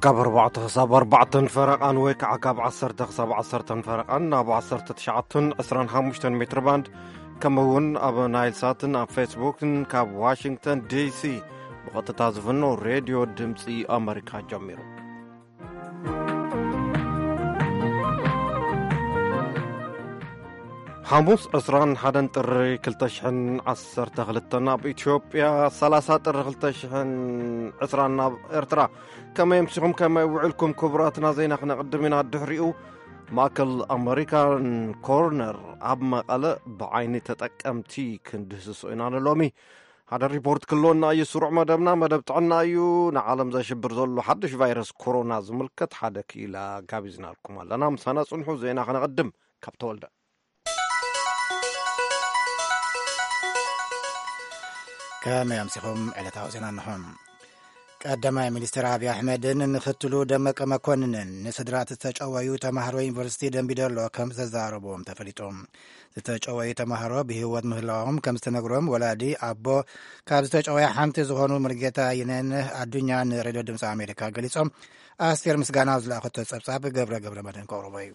ካብ ኣርባዕተ ክሳብ ኣርባዕተን ፈረቓን ወይ ከዓ ካብ ዓሰርተ ክሳብ ዓሰርተን ፈረቓን ኣብ ዓሰርተ ትሽዓተን ዕስራን ሓሙሽተን ሜትር ባንድ፣ ከምኡ እውን ኣብ ናይል ሳትን ኣብ ፌስቡክን ካብ ዋሽንግተን ዲሲ ብቐጥታ ዝፍኖ ሬድዮ ድምፂ ኣመሪካ ጀሚሩ። ሓሙስ ዕስራን ሓደን ጥሪ ክልተ ሽሕን ዓሰርተ ክልተን ኣብ ኢትዮጵያ፣ ሰላሳ ጥሪ ክልተ ሽሕን ዕስራን ኣብ ኤርትራ። ከመይ ኣምሲኹም፣ ከመይ ውዕልኩም ክቡራትና? ዜና ክነቕድም ኢና። ድሕሪኡ ማእከል ኣመሪካን ኮርነር ኣብ መቐለ ብዓይኒ ተጠቀምቲ ክንድህስሶ ኢና ንሎሚ። ሓደ ሪፖርት ክልወና እዩ። ስሩዕ መደብና መደብ ጥዕና እዩ። ንዓለም ዘሽብር ዘሎ ሓድሽ ቫይረስ ኮሮና ዝምልከት ሓደ ክኢላ ጋቢዝናልኩም ኣለና። ምሳና ጽንሑ። ዜና ክነቐድም ካብ ተወልደ። ከመይ ኣምሲኹም? ዕለታዊ ዜና እንሆ። ቀዳማይ ሚኒስትር ኣብይ ኣሕመድን ምክትሉ ደመቀ መኮንንን ንስድራት ዝተጨወዩ ተማሃሮ ዩኒቨርሲቲ ደምቢዶሎ ከም ዘዛረብዎም ተፈሊጡ። ዝተጨወዩ ተማሃሮ ብህይወት ምህላዎም ከም ዝተነግሮም ወላዲ ኣቦ ካብ ዝተጨወያ ሓንቲ ዝኾኑ ሙሉጌታ የነነህ ኣዱኛ ንሬድዮ ድምፂ ኣሜሪካ ገሊጾም። ኣስቴር ምስጋናው ዝለኣኸቶ ጸብጻብ ገብረ ገብረ መድህን ከቕርቦ እዩ።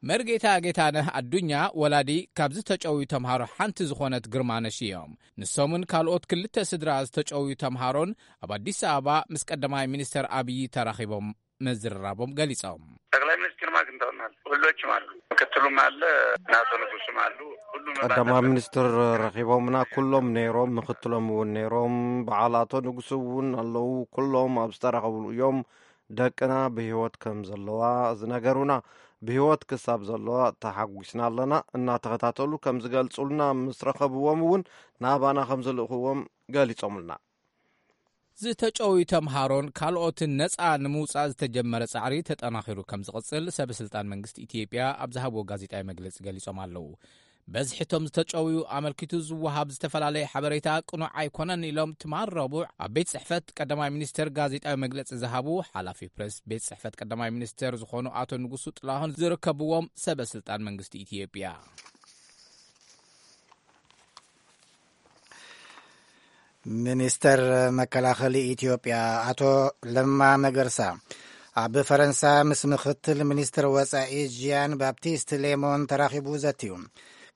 መርጌታ ጌታነህ ኣዱኛ ወላዲ ካብ ዝተጨውዩ ተምሃሮ ሓንቲ ዝኾነት ግርማነሽ እዮም። ንሶምን ካልኦት ክልተ ስድራ ዝተጨውዩ ተምሃሮን ኣብ ኣዲስ ኣበባ ምስ ቀዳማይ ሚኒስተር ኣብይ ተራኺቦም ምዝርራቦም ገሊጾም። ጠቅላይ ሚኒስትር ማክ እንተውናል ሁሎችም አሉ፣ ምክትሉም አለ፣ ናቶ ንጉስም አሉ። ሁሉም ቀዳማይ ባለበት ሚኒስትር ረኺቦምና፣ ኩሎም ነይሮም፣ ምክትሎም እውን ነይሮም፣ በዓል ኣቶ ንጉስ እውን ኣለዉ። ኩሎም ኣብ ዝተረኸብሉ እዮም ደቅና ብህይወት ከም ዘለዋ ዝነገሩና። ብህይወት ክሳብ ዘለዋ ተሓጒስና ኣለና። እናተኸታተሉ ከም ዝገልጹልና ምስ ረኸብዎም እውን ናባና ከም ዝልእኽዎም ገሊጾምልና። ዝተጨውዩ ተምሃሮን ካልኦትን ነጻ ንምውጻእ ዝተጀመረ ጻዕሪ ተጠናኺሩ ከም ዝቕጽል ሰበ ስልጣን መንግስቲ ኢትዮጵያ ኣብ ዝሃብዎ ጋዜጣዊ መግለጺ ገሊጾም ኣለዉ። በዝሒ እቶም ዝተጨውዩ ኣመልኪቱ ዝወሃብ ዝተፈላለየ ሓበሬታ ቅኑዕ ኣይኮነን ኢሎም ትማል ረቡዕ ኣብ ቤት ጽሕፈት ቀዳማይ ሚኒስትር ጋዜጣዊ መግለጺ ዝሃቡ ሓላፊ ፕሬስ ቤት ጽሕፈት ቀዳማይ ሚኒስትር ዝኾኑ ኣቶ ንጉሱ ጥላሁን ዝርከብዎም ሰበ ስልጣን መንግስቲ ኢትዮጵያ። ሚኒስተር መከላኸሊ ኢትዮጵያ ኣቶ ለማ መገርሳ ኣብ ፈረንሳ ምስ ምኽትል ሚኒስትር ወጻኢ ጂያን ባፕቲስት ሌሞን ተራኺቡ ዘትዩ።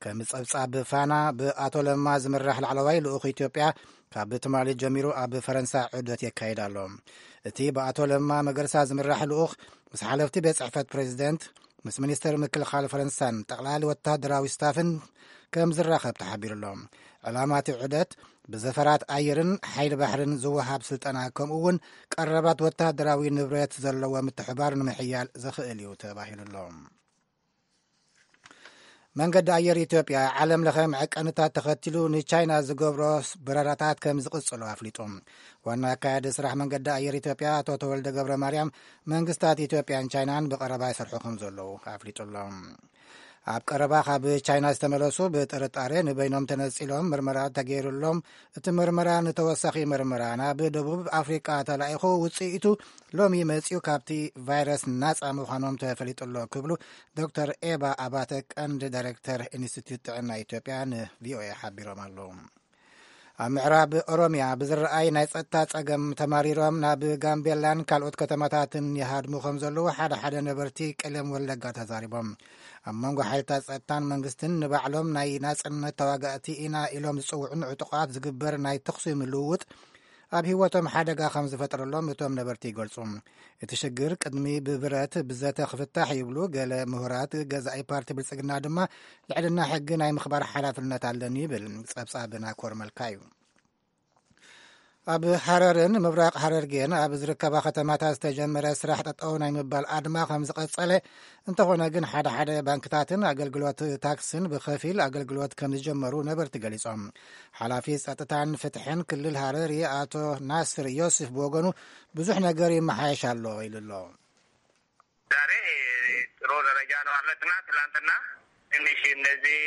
ከም ጸብጻብ ፋና፣ ብኣቶ ለማ ዝምራሕ ላዕለዋይ ልኡኽ ኢትዮጵያ ካብ ትማሊ ጀሚሩ ኣብ ፈረንሳ ዑደት የካይድ ኣሎ። እቲ ብኣቶ ለማ መገርሳ ዝምራሕ ልኡኽ ምስ ሓለፍቲ ቤት ጽሕፈት ፕሬዚደንት፣ ምስ ሚኒስተር ምክልኻል ፈረንሳን ጠቕላሊ ወታደራዊ ስታፍን ከም ዝራኸብ ተሓቢሩ ኣሎ። ዕላማ እቲ ዑደት ብዘፈራት ኣየርን ሓይሊ ባሕርን ዝወሃብ ስልጠና፣ ከምኡ እውን ቀረባት ወታደራዊ ንብረት ዘለዎ ምትሕባር ንምሕያል ዘኽእል እዩ ተባሂሉ ኣሎ። መንገዲ ኣየር ኢትዮጵያ ዓለም ለኸ መዐቀንታት ተኸቲሉ ንቻይና ዝገብሮ በረራታት ከም ዝቕጽሎ ኣፍሊጡ። ዋና ኣካያዲ ስራሕ መንገዲ ኣየር ኢትዮጵያ ኣቶ ተወልደ ገብረ ማርያም፣ መንግስታት ኢትዮጵያን ቻይናን ብቐረባ ይሰርሑ ከም ዘለዉ ኣፍሊጡ ኣሎ። ኣብ ቀረባ ካብ ቻይና ዝተመለሱ ብጥርጣሬ ንበይኖም ተነጺሎም ምርመራ ተገይሩሎም። እቲ ምርመራ ንተወሳኺ ምርመራ ናብ ደቡብ ኣፍሪቃ ተላኢኹ፣ ውጽኢቱ ሎሚ መጺኡ ካብቲ ቫይረስ ናጻ ምዃኖም ተፈሊጡ ኣሎ ክብሉ ዶክተር ኤባ ኣባተ፣ ቀንዲ ዳይሬክተር ኢንስቲትዩት ጥዕና ኢትዮጵያ፣ ንቪኦኤ ሓቢሮም ኣለዉ። ኣብ ምዕራብ ኦሮምያ ብዝረኣይ ናይ ጸጥታ ጸገም ተማሪሮም ናብ ጋምቤላን ካልኦት ከተማታትን ይሃድሙ ከም ዘለዉ ሓደ ሓደ ነበርቲ ቀለም ወለጋ ተዛሪቦም። ኣብ መንጎ ሓይልታት ጸጥታን መንግስትን ንባዕሎም ናይ ናጽነት ተዋጋእቲ ኢና ኢሎም ዝጽውዑን ዕጡቓት ዝግበር ናይ ተኹሲ ምልውውጥ ኣብ ህይወቶም ሓደጋ ከም ዝፈጠረሎም እቶም ነበርቲ ይገልጹ። እቲ ሽግር ቅድሚ ብብረት ብዘተ ክፍታሕ ይብሉ ገለ ምሁራት፣ ገዛኢ ፓርቲ ብልጽግና ድማ ልዕልና ሕጊ ናይ ምኽባር ሓላፍነት ኣለኒ ይብል። ጸብጻብ ናኮር መልካ እዩ። ኣብ ሃረርን ምብራቕ ሃረርጌን ኣብ ዝርከባ ከተማታት ዝተጀመረ ስራሕ ጠጠው ናይ ምባል ኣድማ ከም ዝቐጸለ፣ እንተኾነ ግን ሓደ ሓደ ባንክታትን ኣገልግሎት ታክስን ብኸፊል ኣገልግሎት ከም ዝጀመሩ ነበርቲ ገሊጾም። ሓላፊ ጸጥታን ፍትሕን ክልል ሃረሪ ኣቶ ናስር ዮስፍ ብወገኑ፣ ብዙሕ ነገር ይመሓየሽ ኣሎ ኢሉ ኣሎ። ዛሬ ጥሩ ደረጃ ነው አለትና፣ ትላንትና ትንሽ እነዚህ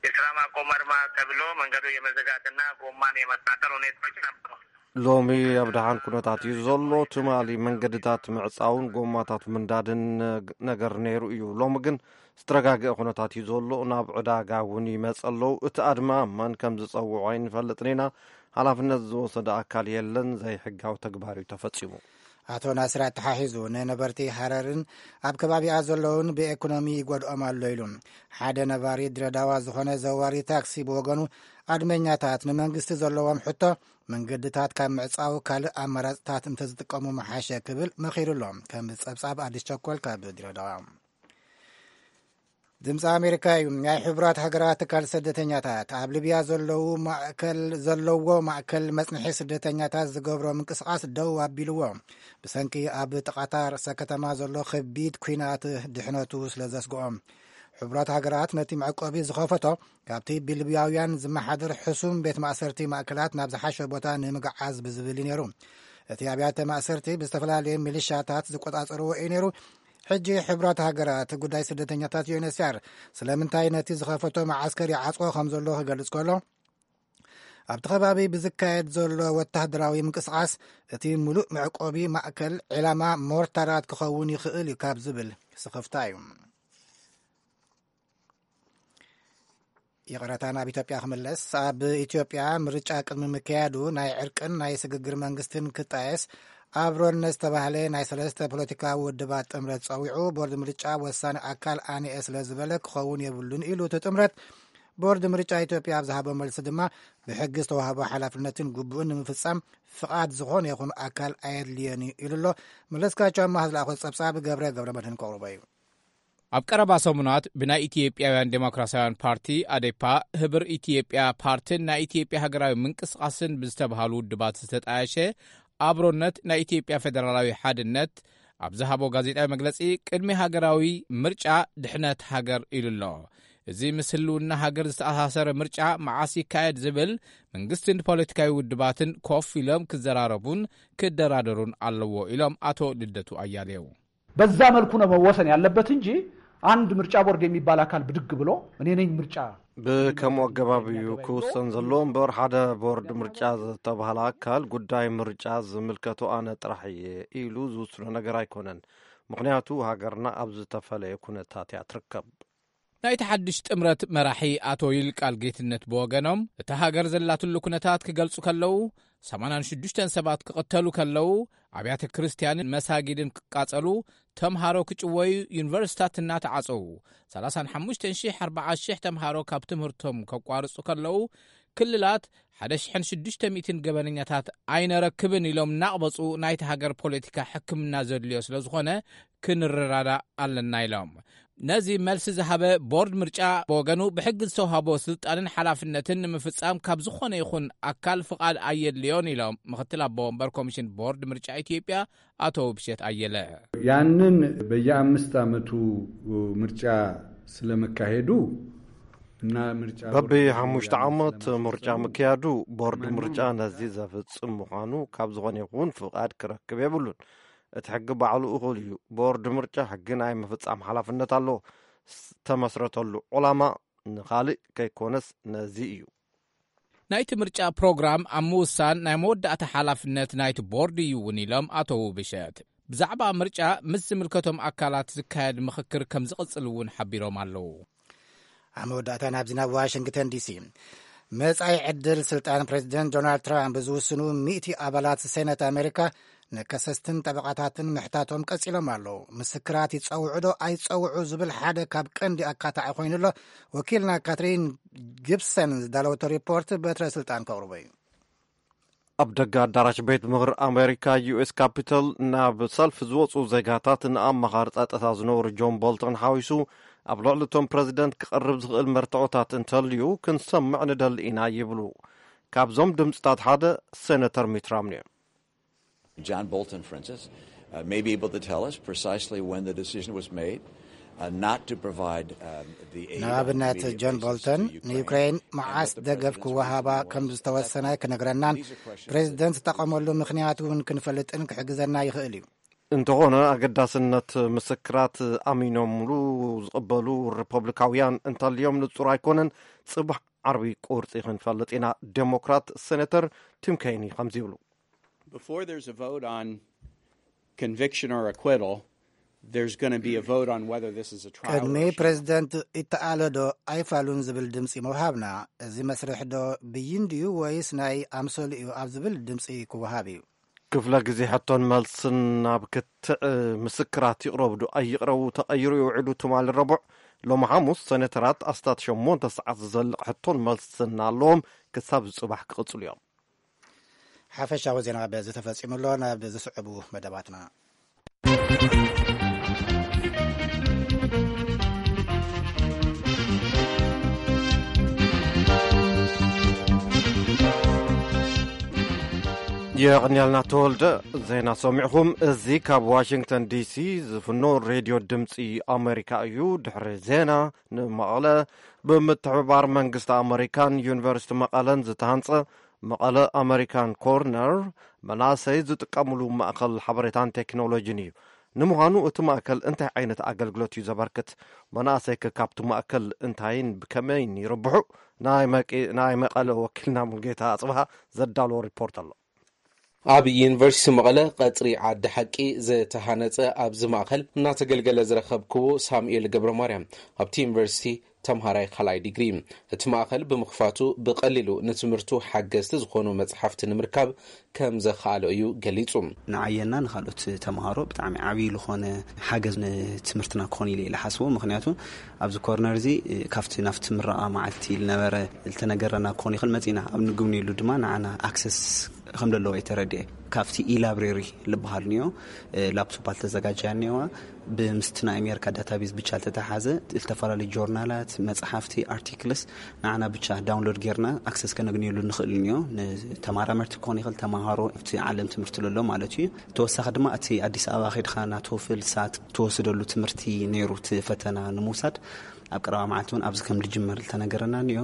የስራ ማቆም አድማ ተብሎ መንገዱ የመዘጋትና ጎማን የመቃጠል ሁኔታዎች ነበሩ። ሎሚ ኣብ ደሓን ኩነታት እዩ ዘሎ። ትማሊ መንገድታት ምዕጻውን ጎማታት ምንዳድን ነገር ነይሩ እዩ። ሎሚ ግን ዝተረጋገአ ኩነታት እዩ ዘሎ። ናብ ዕዳጋ እውን ይመጽ ኣለዉ። እቲ ኣድማ መን ከም ዝጸውዖ ኣይንፈልጥን ኢና። ሓላፍነት ዝወሰደ ኣካል የለን። ዘይሕጋዊ ተግባር እዩ ተፈጺሙ። ኣቶ ናስር ኣተሓሒዙ፣ ንነበርቲ ሃረርን ኣብ ከባቢኣ ዘለውን ብኤኮኖሚ ይጎድኦም ኣሎ ኢሉ። ሓደ ነባሪ ድሬዳዋ ዝኾነ ዘዋሪ ታክሲ ብወገኑ፣ ኣድመኛታት ንመንግስቲ ዘለዎም ሕቶ፣ መንገድታት ካብ ምዕጻው ካልእ ኣማራጽታት እንተዝጥቀሙ ምሓሸ ክብል መኺሩ ኣሎ። ከም ጸብጻብ ኣዲስ ቸኮል ካብ ድሬዳዋ። ድምፂ ኣሜሪካ እዩ። ናይ ሕቡራት ሃገራት ትካል ስደተኛታት ኣብ ሊብያ ዘለዉ ማእከል፣ ዘለዎ ማእከል መጽንሒ ስደተኛታት ዝገብሮ ምንቅስቓስ ደው ኣቢልዎ። ብሰንኪ ኣብ ጥቓታ ርእሰ ከተማ ዘሎ ከቢድ ኲናት ድሕነቱ ስለ ዘስግኦም። ሕቡራት ሃገራት ነቲ መዕቆቢ ዝኸፈቶ ካብቲ ብሊብያውያን ዝመሓደር ሕሱም ቤት ማእሰርቲ ማእከላት ናብ ዝሓሸ ቦታ ንምግዓዝ ብዝብል እዩ ነይሩ። እቲ ኣብያተ ማእሰርቲ ብዝተፈላለየ ሚሊሻታት ዝቆጻጸርዎ እዩ ነይሩ። ሕጂ ሕቡራት ሃገራት ጉዳይ ስደተኛታት፣ ዩ ኤን ኤች ሲ ኣር፣ ስለምንታይ ነቲ ዝኸፈቶ መዓስከር ይዓጽዎ ከም ዘሎ ክገልጽ ከሎ፣ ኣብቲ ከባቢ ብዝካየድ ዘሎ ወተሃደራዊ ምንቅስቓስ እቲ ሙሉእ መዕቆቢ ማእከል ዒላማ ሞርታራት ክኸውን ይኽእል እዩ ካብ ዝብል ስኽፍታ እዩ። ይቕረታ፣ ናብ ኢትዮጵያ ክምለስ። ኣብ ኢትዮጵያ ምርጫ ቅድሚ ምክያዱ ናይ ዕርቅን ናይ ስግግር መንግስትን ክጣየስ ኣብሮነት ዝተባህለ ናይ ሰለስተ ፖለቲካዊ ውድባት ጥምረት ጸዊዑ፣ ቦርድ ምርጫ ወሳኒ ኣካል ኣነኤ ስለ ዝበለ ክኸውን የብሉን ኢሉ እቲ ጥምረት። ቦርድ ምርጫ ኢትዮጵያ ኣብ ዝሃቦ መልሲ ድማ፣ ብሕጊ ዝተዋህቦ ሓላፍነትን ግቡእን ንምፍጻም ፍቓድ ዝኾነ ይኹን ኣካል ኣየድልዮን እዩ ኢሉ ኣሎ። መለስካቸው ኣማሃ ዝለኣኾ ጸብጻብ ገብረ ገብረ መድህን ከቕርቦ እዩ። ኣብ ቀረባ ሰሙናት ብናይ ኢትዮጵያውያን ዴሞክራሲያውያን ፓርቲ፣ ኣዴፓ፣ ህብር ኢትዮጵያ ፓርቲን ናይ ኢትዮጵያ ሃገራዊ ምንቅስቓስን ብዝተባሃሉ ውድባት ዝተጣየሸ ኣብሮነት ናይ ኢትዮጵያ ፌደራላዊ ሓድነት ኣብ ዝሃቦ ጋዜጣዊ መግለጺ፣ ቅድሚ ሃገራዊ ምርጫ ድሕነት ሃገር ኢሉ ኣሎ። እዚ ምስ ህልውና ሃገር ዝተኣሳሰረ ምርጫ መዓስ ይካየድ ዝብል መንግስትን ፖለቲካዊ ውድባትን ኮፍ ኢሎም ክዘራረቡን ክደራደሩን ኣለዎ ኢሎም ኣቶ ልደቱ ኣያሌው። በዛ መልኩ ነው መወሰን ያለበት እንጂ አንድ ምርጫ ቦርድ የሚባል አካል ብድግ ብሎ እኔ ነኝ ምርጫ ብከምኡ ኣገባብ እዩ ክውሰን ዘለዎ እምበር፣ ሓደ ቦርድ ምርጫ ዝተባህለ ኣካል ጉዳይ ምርጫ ዝምልከቶ ኣነ ጥራሕ እየ ኢሉ ዝውስኖ ነገር ኣይኮነን። ምኽንያቱ ሃገርና ኣብ ዝተፈለየ ኩነታት እያ ትርከብ። ናይቲ ሓድሽ ጥምረት መራሒ ኣቶ ይልቃል ጌትነት ብወገኖም፣ እታ ሃገር ዘላትሉ ኩነታት ክገልጹ ከለዉ፣ ሰማንያን ሽዱሽተን ሰባት ክቕተሉ ከለዉ፣ ኣብያተ ክርስትያንን መሳጊድን ክቃጸሉ፣ ተምሃሮ ክጭወዩ፣ ዩኒቨርሲታት እናተዓጸዉ፣ ሰላሳን ሓሙሽተን ሺሕ ኣርባዓ ሺሕ ተምሃሮ ካብ ትምህርቶም ከቋርጹ ከለዉ፣ ክልላት ሓደ ሽሕን ሽዱሽተ ሚእትን ገበነኛታት ኣይነረክብን ኢሎም እናቕበጹ፣ ናይቲ ሃገር ፖለቲካ ሕክምና ዘድልዮ ስለ ዝኾነ ክንረዳዳእ ኣለና ኢሎም። ነዚ መልሲ ዝሃበ ቦርድ ምርጫ ብወገኑ፣ ብሕጊ ዝተውሃቦ ስልጣንን ሓላፍነትን ንምፍጻም ካብ ዝኾነ ይኹን ኣካል ፍቓድ ኣየድልዮን ኢሎም ምኽትል ኣቦ ወንበር ኮሚሽን ቦርድ ምርጫ ኢትዮጵያ ኣቶ ውብሸት ኣየለ። ያንን በየአምስት ዓመቱ ምርጫ ስለመካሄዱ እና ምርጫ በቢ ቦርድ ሓሙሽተ ዓመት ምርጫ ምክያዱ፣ ቦርድ ምርጫ ነዚ ዘፍጽም ምዃኑ ካብ ዝኾነ ይኹን ፍቓድ ክረክብ የብሉን። እቲ ሕጊ ባዕሉ እኹል እዩ። ቦርድ ምርጫ ሕጊ ናይ ምፍጻም ሓላፍነት ኣለዎ። ዝተመስረተሉ ዕላማ ንኻልእ ከይኮነስ ነዚ እዩ። ናይቲ ምርጫ ፕሮግራም ኣብ ምውሳን ናይ መወዳእታ ሓላፍነት ናይቲ ቦርድ እዩ እውን ኢሎም ኣቶ ውብሸት። ብዛዕባ ምርጫ ምስ ዝምልከቶም ኣካላት ዝካየድ ምኽክር ከም ዝቕጽል እውን ሓቢሮም ኣለዉ። ኣብ መወዳእታ ናብዚ ናብ ዋሽንግተን ዲሲ። መጻኢ ዕድል ስልጣን ፕሬዚደንት ዶናልድ ትራምፕ ዝውስኑ ሚእቲ ኣባላት ሴነት ኣሜሪካ ንከሰስትን ጠበቓታትን ምሕታቶም ቀጺሎም ኣለዉ። ምስክራት ይጸውዑ ዶ ኣይጸውዑ ዝብል ሓደ ካብ ቀንዲ ኣካታዒ ኮይኑ ኣሎ። ወኪልና ካትሪን ጊብሰን ዝዳለወቶ ሪፖርት በትረ ስልጣን ከቕርቦ እዩ። ኣብ ደገ ኣዳራሽ ቤት ምኽሪ ኣሜሪካ፣ ዩ ኤስ ካፒቶል፣ ናብ ሰልፊ ዝወፁ ዜጋታት ንኣማኻሪ ጸጥታ ዝነበሩ ጆን ቦልተን ሓዊሱ ኣብ ልዕሊ እቶም ፕረዚደንት ክቐርብ ዝኽእል መርትዖታት እንተልዩ ክንሰምዕ ንደሊ ኢና ይብሉ። ካብዞም ድምፅታት ሓደ ሴነተር ሚት ራምኒ እዩ። John Bolton, for instance, uh, may be able to tell us precisely when the decision was made uh, not to provide um, the aid on ንኣብነት immediate ጆን basis ቦልተን to Ukraine ንዩክሬን and መዓስ what the ደገፍ president's ክወሃባ reason was ከም at that ዝተወሰነ point. ክነግረናን These are questions that ፕሬዚደንት ዝጠቐመሉ ምኽንያት እውን ክንፈልጥን ክሕግዘና ይኽእል እዩ። እንተኾነ ኣገዳስነት ምስክራት ኣሚኖምሉ ዝቕበሉ ሪፐብሊካውያን እንተልዮም ንጹር ኣይኮነን። ጽባሕ ዓርቢ ቁርጺ ክንፈልጥ ኢና። ዴሞክራት ሴኔተር ቲም ኬኒ ከምዚ ይብሉ። Before there's a vote on conviction or acquittal, there's going to be a vote on whether this is a trial ቅድሚ or a sham. ፕሬዚደንት ይተኣለ ዶ ኣይፋሉን ዝብል ድምፂ ምውሃብና፣ እዚ መስርሕ ዶ ብይን ድዩ ወይስ ናይ ኣምሰሉ እዩ ኣብ ዝብል ድምፂ ክወሃብ እዩ። ክፍለ ግዜ ሕቶን መልስን ናብ ክትዕ ምስክራት ይቕረቡ ዶ ኣይቕረቡ ተቐይሩ ይውዕሉ። ትማሊ ረቡዕ፣ ሎሚ ሓሙስ፣ ሰኔተራት ኣስታት ሸሞንተ ሰዓት ዝዘልቕ ሕቶን መልስን ኣለዎም። ክሳብ ዝጽባሕ ክቕጽሉ እዮም። ሓፈሻዊ ዜና በዚ ተፈጺሙ ኣሎ። ናብ ዝስዕቡ መደባትና። የቐንያልና ተወልደ። ዜና ሰሚዕኹም። እዚ ካብ ዋሽንግተን ዲሲ ዝፍኖ ሬድዮ ድምፂ ኣሜሪካ እዩ። ድሕሪ ዜና፣ ንመቐለ ብምትሕብባር መንግስቲ ኣሜሪካን ዩኒቨርሲቲ መቐለን ዝተሃንፀ መቐለ ኣሜሪካን ኮርነር መናእሰይ ዝጥቀምሉ ማእከል ሓበሬታን ቴክኖሎጂን እዩ። ንምዃኑ እቲ ማእከል እንታይ ዓይነት ኣገልግሎት እዩ ዘበርክት? መናእሰይከ ካብቲ ማእከል እንታይን ብከመይን ይርብሑ? ናይ መቂ-፣ ናይ መቐለ ወኪልና ሙልጌታ ኣጽብሃ ዘዳለዎ ሪፖርት ኣሎ። ኣብ ዩኒቨርሲቲ መቐለ ቀጽሪ ዓዲ ሓቂ ዝተሃነጸ ኣብዚ ማእከል እናተገልገለ ዝረኸብክዎ ሳሙኤል ገብረ ማርያም፣ ኣብቲ ዩኒቨርሲቲ ተምሃራይ ካልኣይ ዲግሪ። እቲ ማእከል ብምኽፋቱ ብቐሊሉ ንትምህርቱ ሓገዝቲ ዝኾኑ መጽሓፍቲ ንምርካብ ከም ዘኽኣሎ እዩ ገሊጹ። ንዓየና ንኻልኦት ተምሃሮ ብጣዕሚ ዓብዪ ዝኾነ ሓገዝ ንትምህርትና ክኾን ኢለ ኢለ ሓስቦ። ምኽንያቱ ኣብዚ ኮርነር እዚ ካብቲ ናብቲ ምረቓ መዓልቲ ዝነበረ ዝተነገረና ክኾን ይኽእል መጺና ኣብ ንግብንየሉ ድማ ንዓና ኣክሰስ ከም ዘለዎ የተረድኤ። ካብቲ ኢላብሬሪ ዝበሃል እኒኦ፣ ላፕቶፕ ኣልተዘጋጀያ እኒዋ። ብምስቲ ናይ ኣሜሪካ ዳታቤዝ ብቻ ዝተተሓዘ ዝተፈላለዩ ጆርናላት፣ መጽሓፍቲ፣ ኣርቲክልስ ንዓና ብቻ ዳውንሎድ ጌርና ኣክሰስ ከነግንየሉ ንኽእል እኒኦ። ንተማራመርቲ ክኾን ይኽእል፣ ተማሃሮ ኣብቲ ዓለም ትምህርቲ ለሎ ማለት እዩ። ተወሳኺ ድማ እቲ ኣዲስ ኣበባ ኸድኻ ናቶፍል ሳት ትወስደሉ ትምህርቲ ነይሩ። እቲ ፈተና ንምውሳድ ኣብ ቀረባ መዓልቲ እውን ኣብዚ ከም ዝጅመር ዝተነገረና እኒኦ።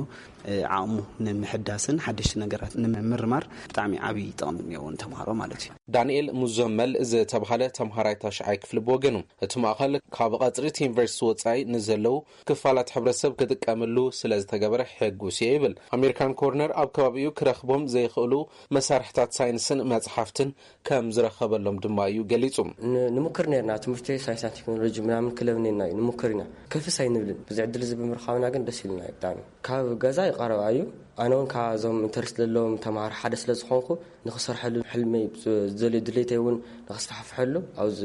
ዓቕሙ ንምሕዳስን ሓደሽቲ ነገራት ንምምርማር ብጣዕሚ ዓብዪ ጥቕሚ እኒኦዎ ንተምሃሮ ማለት እዩ። ዳንኤል ሙዘመል ዝተባሃለ ተምሃራይ ታሽዓይ ክፍሊ ብወገኑ፣ እቲ ማእኸል ካብ ቐጽሪ እቲ ዩኒቨርሲቲ ወጻኢ ንዘለዉ ክፋላት ሕብረተሰብ ክጥቀምሉ ስለ ዝተገበረ ሕጉስ እየ ይብል። ኣሜሪካን ኮርነር ኣብ ከባቢኡ ክረኽቦም ዘይኽእሉ መሳርሕታት ሳይንስን መጽሓፍትን ከም ዝረኸበሎም ድማ እዩ ገሊጹ። ን-፣ ንሙክር ነርና፣ ትምህርቲ ሳይንስን ቴክኖሎጂ ምናምን ክለብ ነርና እዩ፣ ንሙክር ኢና። ከፍስ ኣይንብልን። ብዚ ዕድል እዚ ብምርኻብና ግን ደስ ኢሉና እዩ ብጣዕሚ። ካብ ገዛ ይቐረባ እዩ። ኣነ እውን ካብዞም ኢንተረስት ዘለዎም ተምሃሮ ሓደ ስለ ዝኾንኩ፣ ንኽሰርሐሉ ሕልመይ ዝደልዮ ድሌተይ እውን ንኸስፋሕፍሐሉ ኣብዚ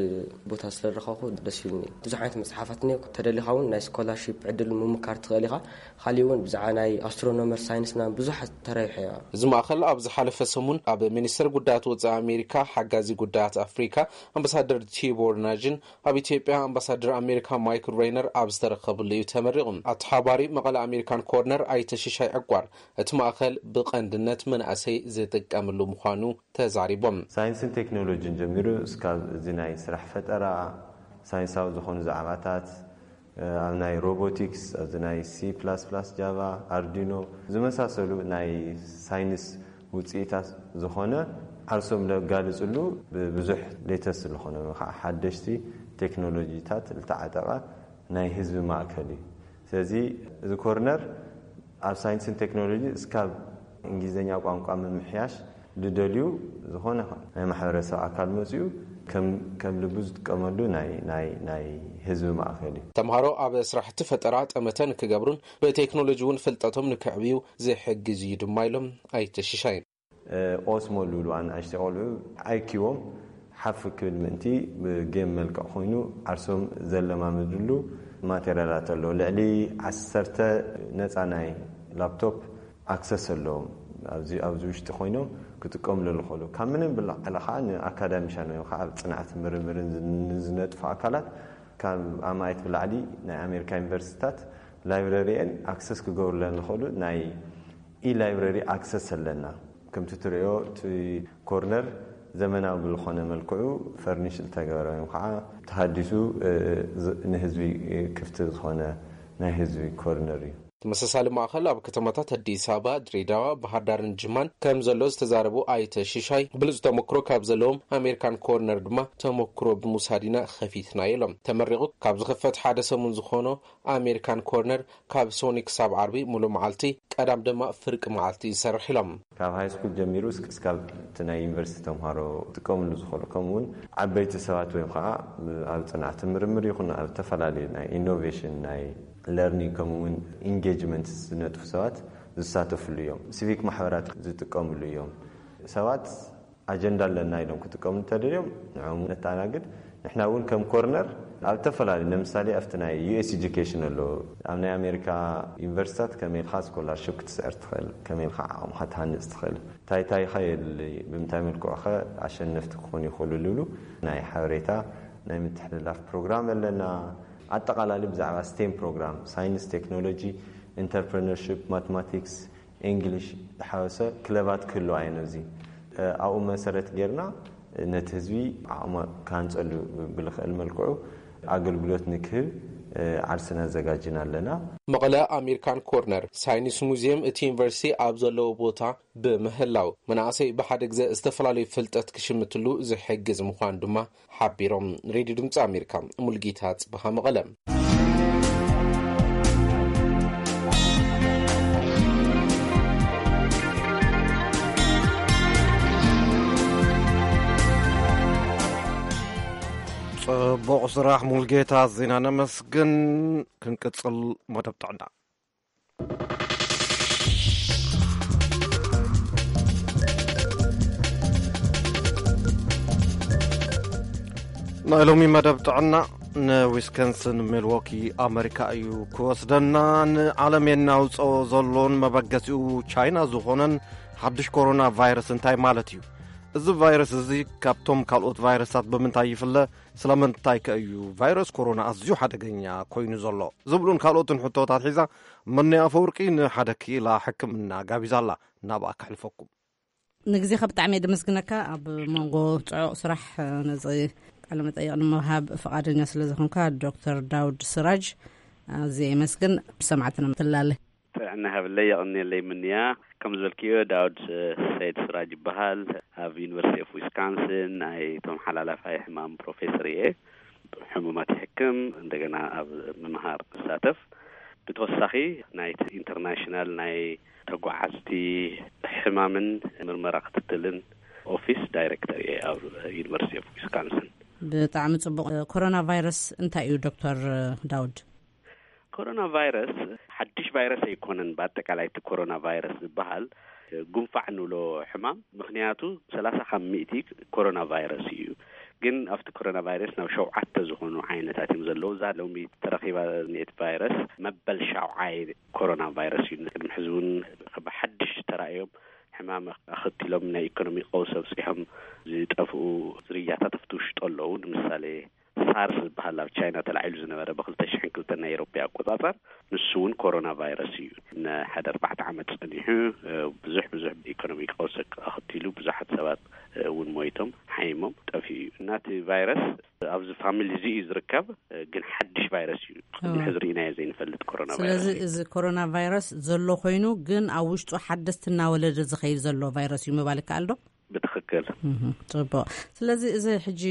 ቦታ ስለ ዝረኸብኩ ደስ ኢሉኒ። ብዙሕ ዓይነት መጽሓፋት እኒኦ። ተደሊኻ እውን ናይ ስኮላርሺፕ ዕድል ምምካር ትኽእል ኢኻ። ካሊእ እውን ብዛዕባ ናይ ኣስትሮኖመር ሳይንስ ምናምን ብዙሓት ተረቢሐ እየ። እዚ ማእኸል ኣብ ዝሓለፈ ሰሙን ኣብ ሚኒስትር ጉዳያት ወጻኢ ኣሜሪካ ሓጋዚ ጉዳያት ኣፍሪካ ኣምባሳደር ቲቦር ናጅን ኣብ ኢትዮጵያ ኣምባሳደር ኣሜሪካ ማይክል ሬይነር ኣብ ዝተረኸብሉ እዩ ተመሪቑ። ኣተሓባሪ መቐለ ኣሜሪካን ኮርነር ኣይተ ሽሻይ ዕቋር፣ እቲ ማእኸል ብቐንድነት መናእሰይ ዝጥቀምሉ ምዃኑ ተዛሪቦም። ሳይንስን ቴክኖሎጂን ጀሚሩ እስካብ እዚ ናይ ስራሕ ፈጠራ፣ ሳይንሳዊ ዝኾኑ ዛዕባታት፣ ኣብ ናይ ሮቦቲክስ፣ ኣብዚ ናይ ሲ ፕላስ ፕላስ፣ ጃቫ፣ ኣርዲኖ ዝመሳሰሉ ናይ ሳይንስ ውፅኢታት ዝኾነ ዓርሶም ዘጋልፅሉ፣ ብብዙሕ ሌተስት ዝኾነ ወይ ከዓ ሓደሽቲ ቴክኖሎጂታት ዝተዓጠቐ ናይ ህዝቢ ማእከል እዩ። ስለዚ እዚ ኮርነር ኣብ ሳይንስን ቴክኖሎጂ እስካብ እንግሊዝኛ ቋንቋ ምምሕያሽ ዝደልዩ ዝኾነ ናይ ማሕበረሰብ ኣካል መፅኡ ከም፣ ከም ልቡ ዝጥቀመሉ ናይ፣ ናይ፣ ናይ ህዝቢ ማእከል እዩ። ተምሃሮ ኣብ ስራሕቲ ፈጠራ ጠመተ ንክገብሩን ብቴክኖሎጂ እውን ፍልጠቶም ንክዕብዩ ዝሕግዝ እዩ ድማ ኢሎም ኣይተ ሽሻይ። ኦስሞ ዝብሉ ኣናእሽተይ ቆልዑ ኣይኪዎም ሓፍ ክብል ምእንቲ ብጌም መልክዕ ኮይኑ ዓርሶም ዘለማምድሉ ማቴሪያላት ኣለዉ። ልዕሊ ዓሰርተ ነፃ ናይ ላፕቶፕ ኣክሰስ ኣለዎም። ኣብዚ፣ ኣብዚ ውሽጢ ኮይኖም ክጥቀምሉ ዝኽእሉ። ካብ ምንም ብላዕሊ ከዓ ንኣካዳሚሻን ወይ ከዓ ኣብ ፅንዓት ምርምርን ዝን-፣ ዝነጥፉ ኣካላት ካብ ኣማኢት ብላዕሊ ናይ ኣሜሪካ ዩኒቨርሲቲታት ላይብረሪየን ኣክሰስ ክገብሩለን ዝኽእሉ ናይ ኢ-ላይብረሪ ኣክሰስ ኣለና። ከምቲ ትርእዮ እቲ ኮርነር ዘመናዊ ብዝኾነ መልክዑ ፈርኒሽ ዝተገበረ ወይ ከዓ ተሃዲሱ፣ እ፣ ዝ-፣ ንህዝቢ ክፍቲ ዝኾነ ናይ ህዝቢ ኮርነር እዩ። ተመሳሳሊ ማእኸል ኣብ ከተማታት ኣዲስ ኣበባ፣ ድሬዳዋ፣ ባህር ዳርን ጅማን ከም ዘሎ ዝተዛረቡ ኣይተ ሽሻይ፣ ብሉፅ ተመክሮ ካብ ዘለዎም ኣሜሪካን ኮርነር ድማ ተመክሮ ብምውሳድ ኢና ከፊትና ኢሎም። ተመሪቑ ካብ ዝኽፈት ሓደ ሰሙን ዝኾኖ ኣሜሪካን ኮርነር ካብ ሶኒ ክሳብ ዓርቢ ሙሉእ መዓልቲ፣ ቀዳም ድማ ፍርቂ መዓልቲ ይሰርሕ ኢሎም። ካብ ሃይ ስኩል ጀሚሩ እስክ-፣ እስካብ እቲ ናይ ዩኒቨርሲቲ ተምሃሮ ክጥቀምሉ ዝኽእሉ፣ ከምኡ እውን ዓበይቲ ሰባት ወይ ከዓ ኣብ ፅንዓት ምርምር ይኹን ኣብ ዝተፈላለዩ ናይ ኢኖቬሽን፣ ናይ ለርኒንግ፣ ከምኡ እውን ኢንጌጅመንት ዝነጥፉ ሰባት ዝሳተፍሉ እዮም። ሲቪክ ማሕበራት ዝጥቀምሉ እዮም። ሰባት ኣጀንዳ ኣለና ኢሎም ክጥቀሙ እንተደልዮም ንዕኦም ነተኣናግድ። ንሕና እውን ከም ኮርነር ኣብ ዝተፈላለዩ፣ ንምሳሌ ኣብቲ ናይ ዩ ኤስ ኤጁኬሽን ኣሎ፣ ኣብ ናይ ኣሜሪካ ዩኒቨርሲታት ከመይ ኢልካ ስኮላርሽፕ ክትስዕር ትኽእል፣ ከመይ ኢልካ ዓቕምካ ትሃንፅ ትኽእል፣ እንታይ እንታይ ኸ የድሊ፣ ብምንታይ መልክዑ ኸ ኣሸነፍቲ ክኾኑ ይኽእሉ ዝብሉ ናይ ሓበሬታ ናይ ምትሕልላፍ ፕሮግራም ኣለና። ኣጠቓላሊ ብዛዕባ ስቴም ፕሮግራም፣ ሳይንስ፣ ቴክኖሎጂ፣ ኢንተርፕረነርሽፕ፣ ማትማቲክስ፣ ኢንግሊሽ ዝሓወሰ ክለባት ክህልዋ እየን። እዚ ኣብኡ መሰረት ጌርና ነቲ ህዝቢ ዓቕሙ ክሃንፀሉ ብልኽእል መልክዑ ኣገልግሎት ንክህብ ዓርስና ኣዘጋጅና ኣለና። መቐለ ኣሜሪካን ኮርነር ሳይንስ ሙዚየም እቲ ዩኒቨርሲቲ ኣብ ዘለዎ ቦታ ብምህላው መናእሰይ ብሓደ ግዘ ዝተፈላለዩ ፍልጠት ክሽምትሉ ዝሕግዝ ምዃን ድማ ሓቢሮም። ሬድዮ ድምፂ ኣሜሪካ፣ ሙልጌታ ጽበሃ፣ መቐለ። ጽቡቕ ስራሕ ሙልጌታ ዜና ነመስግን። ክንቅጽል መደብ ጥዕና። ናይ ሎሚ መደብ ጥዕና ንዊስኮንስን ሚልዎኪ ኣመሪካ እዩ ክወስደና። ንዓለም የናውጾ ዘሎን መበገሲኡ ቻይና ዝኾነን ሓድሽ ኮሮና ቫይረስ እንታይ ማለት እዩ? እዚ ቫይረስ እዚ ካብቶም ካልኦት ቫይረሳት ብምንታይ ይፍለ? ስለምንታይ ከ እዩ ቫይረስ ኮሮና ኣዝዩ ሓደገኛ ኮይኑ ዘሎ? ዝብሉን ካልኦትን ሕቶታት ሒዛ መነይ ኣፈወርቂ ንሓደ ክኢላ ሕክምና ጋቢዛላ። ናብኣ ከሕልፈኩም። ንግዜኻ ብጣዕሚ እየ ደመስግነካ። ኣብ መንጎ ጽዑቕ ስራሕ ነዚ ቃለ መጠይቕ ንምሃብ ፍቓደኛ ስለ ዝኾንካ ዶክተር ዳውድ ስራጅ ኣዝየ የመስግን። ብሰማዕትና ትላለ። ጥዕና ሃብለይ፣ የቐንየለይ ምንያ። ከም ዝበልክዮ ዳውድ ሰይድ ስራጅ ይበሃል። ኣብ ዩኒቨርሲቲ ኦፍ ዊስካንስን ናይ ተመሓላላፋይ ሕማም ፕሮፌሰር እየ። ሕሙማት ይሕክም፣ እንደገና ኣብ ምምሃር እሳተፍ። ብተወሳኺ ናይቲ ኢንተርናሽናል ናይ ተጓዓዝቲ ሕማምን ምርመራ ክትትልን ኦፊስ ዳይሬክተር እየ ኣብ ዩኒቨርሲቲ ኦፍ ዊስካንስን። ብጣዕሚ ጽቡቕ። ኮሮና ቫይረስ እንታይ እዩ ዶክተር ዳውድ? ኮሮና ቫይረስ ሓድሽ ቫይረስ ኣይኮነን። ብኣጠቃላይ እቲ ኮሮና ቫይረስ ዝበሃል ጉንፋዕ ንብሎ ሕማም፣ ምኽንያቱ ሰላሳ ካብ ሚእቲ ኮሮና ቫይረስ እዩ። ግን ኣብቲ ኮሮና ቫይረስ ናብ ሸውዓተ ዝኾኑ ዓይነታት እዮም ዘለዉ። እዛ ሎሚ ተረኺባ ዝኒኤት ቫይረስ መበል ሻውዓይ ኮሮና ቫይረስ እዩ። ቅድሚ ሕዚ እውን ብሓድሽ ተራእዮም ሕማም ኣኸቲሎም ናይ ኢኮኖሚ ቀውሲ ኣብፂሖም ዝጠፍኡ ዝርያታት ኣብቲ ውሽጡ ኣለዉ። ንምሳሌ ሳርስ ዝበሃል ኣብ ቻይና ተላዒሉ ዝነበረ ብ ክልተ ሽሕን ክልተን ናይ ኤሮፓ ኣቆጻጸር፣ ንሱ እውን ኮሮና ቫይረስ እዩ። ንሓደ ኣርባዕተ ዓመት ጸኒሑ ብዙሕ ብዙሕ ኢኮኖሚ ቀውሲ ኣኸቲሉ ብዙሓት ሰባት እውን ሞይቶም ሓይሞም ጠፊኡ እዩ። እና እቲ ቫይረስ ኣብዚ ፋሚሊ እዚ እዩ ዝርከብ፣ ግን ሓድሽ ቫይረስ እዩ። ቅድሚ ሕዚ ርኢናዮ ዘይንፈልጥ ኮሮና ቫይረስ ስለዚ እዩ። እዚ ኮሮና ቫይረስ ዘሎ ኮይኑ ግን ኣብ ውሽጡ ሓደስቲ እናወለደ ዝኸይድ ዘሎ ቫይረስ እዩ ምባል ይከኣል ዶ? ብትኽክል። እህ፣ ጽቡቕ። ስለዚ እዚ ሕጂ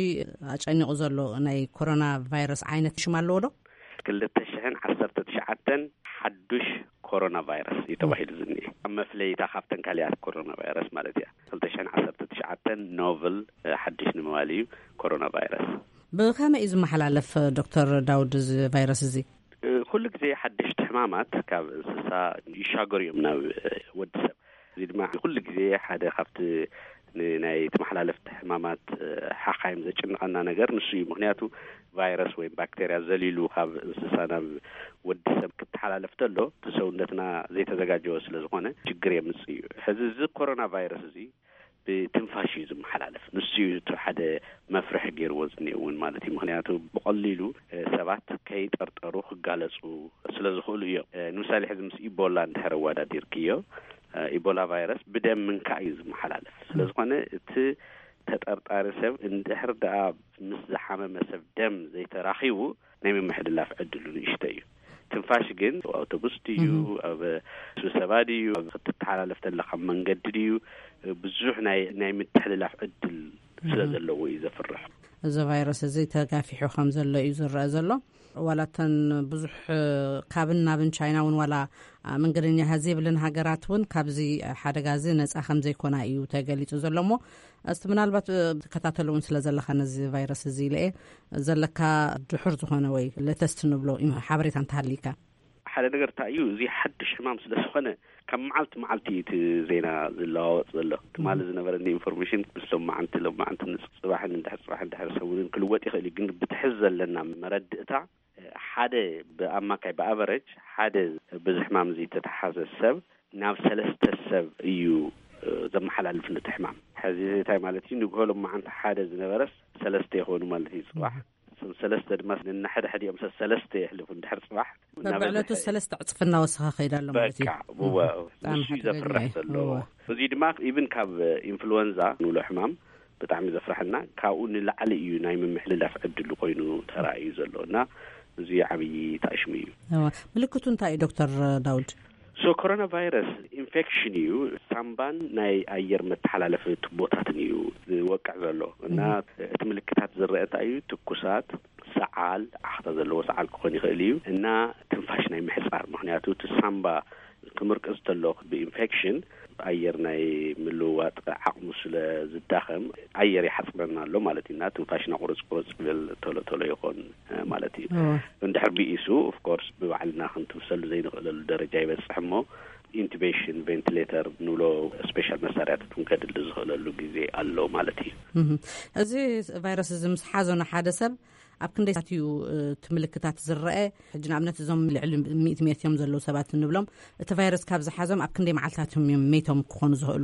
ኣጨኒቑ ዘሎ ናይ ኮሮና ቫይረስ ዓይነት ሽም ኣለዎ ዶ? ክልተ ሽሕን ዓሰርተ ትሽዓተን ሓዱሽ ኮሮና ቫይረስ እዩ ተባሂሉ ዝኒኤ። ኣብ መፍለይታ ካብተን ካሊኣት ኮሮና ቫይረስ ማለት እያ። ክልተ ሽሕን ዓሰርተ ትሽዓተን ኖቨል፣ እ፣ ሓድሽ ንምባል እዩ ኮሮና ቫይረስ። ብኸመይ እዩ ዝመሓላለፍ ዶክተር ዳውድ እዚ ቫይረስ እዚ? እ፣ ኩሉ ግዜ ሓደሽቲ ሕማማት ካብ እንስሳ ይሻገሩ እዮም ናብ፣ እ፣ ወዲ ሰብ። እዚ ድማ ኩሉ ግዜ ሓደ ካብቲ ን-፣ ናይ ተመሓላለፍቲ ሕማማት፣ እ፣ ሓኻይም ዘጭንቐና ነገር ንሱ እዩ። ምኽንያቱ ቫይረስ ወይ ባክቴርያ ዘሊሉ ካብ እንስሳ ናብ ወዲ ሰብ ክተሓላለፍ ተሎ እቲ ሰውነትና ዘይተዘጋጀወ ስለ ዝኾነ ችግር የምጽእ እዩ። ሕዚ እዚ ኮሮና ቫይረስ እዚ ብትንፋሽ እዩ ዝመሓላለፍ። ንሱ እዩ እቲ ሓደ መፍርሒ ገይርዎ ዝኒኤ እውን ማለት እዩ። ምኽንያቱ ብቐሊሉ፣ እ፣ ሰባት ከይጠርጠሩ ክጋለጹ ስለ ዝኽእሉ እዮም። እ፣ ንምሳሌ ሕዚ ምስ ኢቦላ እንድሕር ኣወዳዲርክዮ፣ እ፣ ኢቦላ ቫይረስ ብደም ምንካእ እዩ ዝመሓላለፍ። ስለ ዝኾነ እቲ ተጠርጣሪ ሰብ እንድሕር ደኣ ምስ ዝሓመመ ሰብ ደም ዘይተራኺቡ ናይ ምምሕልላፍ ዕድሉ ንእሽቶ እዩ። ትንፋሽ ግን ኣብ ኣውቶቡስ ድዩ፣ እህ። ኣብ ስብሰባ ድዩ፣ ኣብ ክትተሓላለፍ ተለኻ መንገዲ ድዩ፣ ብዙሕ ናይ፣ ናይ ምትሕልላፍ ዕድል ስለ እህ። ዘለዎ እዩ ዘፍርሕ። እዚ ቫይረስ እዚ ተጋፊሑ ከም ዘሎ እዩ ዝረአ ዘሎ። ዋላ እተን ብዙሕ ካብን ናብን ቻይና እውን ዋላ መንገደኛ ዘይብለን ሃገራት እውን ካብዚ ሓደጋ እዚ ነፃ ከም ዘይኮና እዩ ተገሊጹ ዘሎ። እሞ እስቲ ምናልባት፣ እ፣ ትከታተሉ እውን ስለ ዘለኻ ነዚ ቫይረስ እዚ ኢለ እየ፣ ዘለካ ድሑር ዝኾነ ወይ ለተስት ንብሎ ኢም-፣ ሓበሬታ እንተሃሊካ። ሓደ ነገር እንታይ እዩ፣ እዚ ሓድሽ ሕማም ስለ ዝኾነ ካብ መዓልቲ መዓልቲ እዩ እቲ ዜና ዝለዋወጥ ዘሎ። ትማሊ ዝነበረኒ ኢንፎርሜሽን ምስ ሎማዓንቲ፣ ሎማዓንቲ ንጽባሕን እንድሕር ጽባሕ እንድሕር ሰሙንን ክልወጥ ይኽእል እዩ። ግን ብትሕዝ ዘለና መረድእታ ሓደ ብኣማካይ ብኣቨረጅ ሓደ ብዚ ሕማም እዚ ዝተተሓዘ ሰብ ናብ ሰለስተ ሰብ እዩ ዘመሓላልፍ ነቲ ሕማም። ሕዚ እንታይ ማለት እዩ? ንግሆ ሎማዓንቲ ሓደ ዝነበረስ ሰለስተ ይኾኑ ማለት እዩ። ጽባሕ ሰለስተ ድማ ነናሕድሕዲኦም ሰለስተ የሕልፉ። እንድሕር ጽባሕ በብዕለቱ ሰለስተ ዕፅፊ እናወሰኸ ከይዳ ኣሎ ማለት እዩ። እወ፣ ንሱ እዩ ዘፍርሕ ዘሎ። እዚ ድማ ኢብን ካብ ኢንፍሉወንዛ ንብሎ ሕማም ብጣዕሚ ዘፍርሐና፣ ካብኡ ንላዕሊ እዩ ናይ ምምሕልላፍ ዕድሉ ኮይኑ ተራእዩ ዘሎ እና እዚ ዓብዪ ታእሽሙ እዩ። ምልክቱ እንታይ እዩ ዶክተር ዳውድ? ሶ ኮሮና ቫይረስ ኢንፌክሽን እዩ። ሳምባን ናይ ኣየር መተሓላለፊ ቱቦታትን እዩ ዝወቅዕ ዘሎ እና እቲ ምልክታት ዝረአ እንታይ እዩ? ትኩሳት፣ ሰዓል፣ ዓኽታ ዘለዎ ሰዓል ክኾን ይኽእል እዩ እና ትንፋሽ ናይ ምሕፃር፣ ምክንያቱ እቲ ሳምባ ክምርቅዝ ተሎ ብኢንፌክሽን ኣየር ናይ ምልውዋጥ ዓቕሙ ስለ ዝዳኸም ኣየር ይሓፅረና ኣሎ ማለት እዩ እና ትንፋሽና ቁርፅ ቁርፅ ይብል፣ ቶሎ ቶሎ ይኾን ማለት እዩ። እንድሕር ብኢሱ ኦፍኮርስ ብባዕልና ክንትንፍሰሉ ዘይንኽእለሉ ደረጃ ይበፅሕ እሞ ኢንቱቤሽን፣ ቬንቲሌተር ንብሎ ስፔሻል መሳርያታት እውን ከድሊ ዝኽእለሉ ግዜ ኣሎ ማለት እዩ። እዚ ቫይረስ እዚ ምስ ሓዞ ንሓደ ሰብ ኣብ ክንደይ ሰዓት እዩ እቲ ምልክታት ዝረአ? ሕጂ ንኣብነት እዞም ልዕሊ ሚእቲ ሜትዮም ዘለዉ ሰባት እንብሎም እቲ ቫይረስ ካብ ዝሓዞም ኣብ ክንደይ መዓልታት እዮም ሜቶም ክኾኑ ዝኽእሉ?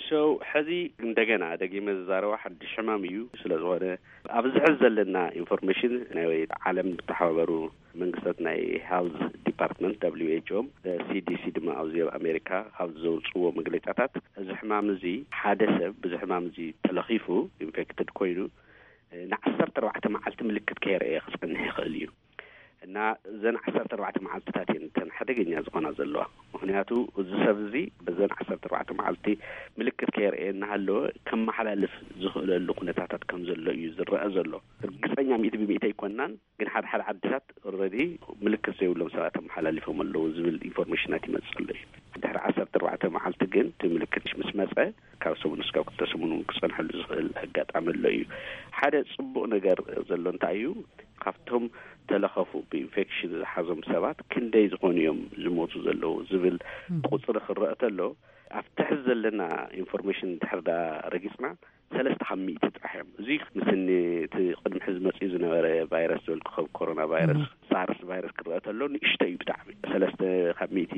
ሶ ሕዚ እንደገና ደጊመ ዝዛረባ ሓድሽ ሕማም እዩ። ስለ ዝኾነ ኣብዚ ሕዚ ዘለና ኢንፎርሜሽን ናይ ዓለም ዝተሓባበሩ መንግስታት ናይ ሄልዝ ዲፓርትመንት ደብሊው ኤች ኦ ሲዲሲ ድማ ኣብዚ ኣብ ኣሜሪካ ካብ ዘውፅዎ መግለጫታት እዚ ሕማም እዚ ሓደ ሰብ ብዚ ሕማም እዚ ተለኺፉ ኢንፌክትድ ኮይኑ ንዓሰርተ ኣርባዕተ መዓልቲ ምልክት ከየርእየ ክፀንሕ ይኽእል እዩ እና እዘን ዓሰርተ ኣርባዕተ መዓልትታት እየን እተን ሓደገኛ ዝኾና ዘለዋ። ምክንያቱ እዚ ሰብ እዚ በዘን ዓሰርተ ኣርባዕተ መዓልቲ ምልክት ከየርእየ እናሃለወ ከመሓላልፍ ዝኽእለሉ ኩነታታት ከም ዘሎ እዩ ዝረአ ዘሎ። እርግፀኛ ሚእቲ ብሚእቲ ኣይኮናን፣ ግን ሓደ ሓደ ዓድታት ኦልሬዲ ምልክት ዘይብሎም ሰባት ኣመሓላሊፎም ኣለዉ ዝብል ኢንፎርሜሽናት ይመፅእ ኣሎ እዩ። ድሕሪ ዓሰርተ ኣርባዕተ መዓልቲ ግን እቲ ምልክት ምስ መፀ ካብ ሰሙን እስካብ ክልተ ሰሙን እውን ክፀንሐሉ ዝኽእል ኣጋጣሚ ኣሎ እዩ። ሓደ ፅቡቕ ነገር ዘሎ እንታይ እዩ? ካብቶም ተለኸፉ ብኢንፌክሽን ዝሓዞም ሰባት ክንደይ ዝኾኑ እዮም ዝሞቱ ዘለዉ ዝብል ቁፅሪ ክረአ ተሎ ኣብ ትሕዚ ዘለና ኢንፎርሜሽን ድሕር ዳ ረጊፅና ሰለስተ ካብ ሚእቲ ጥራሕ እዮም። እዚ ምስኒ እቲ ቅድሚ ሕዚ መፅኡ ዝነበረ ቫይረስ ዝበልኩ ከም ኮሮና ቫይረስ ሳርስ ቫይረስ ክረአ ተሎ ንእሽቶ እዩ ብጣዕሚ። ሰለስተ ካብ ሚእቲ